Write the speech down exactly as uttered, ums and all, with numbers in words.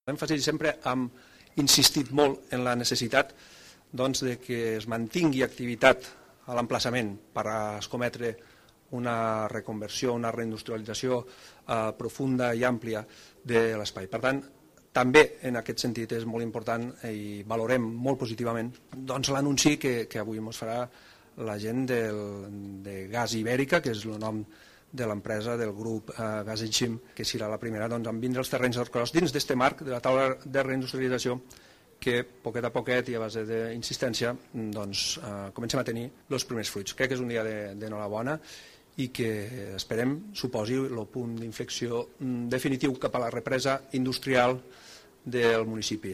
L'èmfasi sempre hem insistit molt en la necessitat doncs, de que es mantingui activitat a l'emplaçament per a escometre una reconversió, una reindustrialització eh, profunda i àmplia de l'espai. Per tant, també en aquest sentit és molt important i valorem molt positivament doncs, l'anunci que, que avui ens farà la gent del, de Gas Ibèrica, que és el nom de l'empresa del grup eh, Gas Enxim, que serà la primera doncs, en vindre els terrenys del Cros dins d'aquest marc de la taula de reindustrialització que poquet a poquet i a base d'insistència doncs, eh, comencem a tenir els primers fruits. Crec que és un dia d'enhorabona i que esperem suposi el punt d'inflexió definitiu cap a la represa industrial del municipi.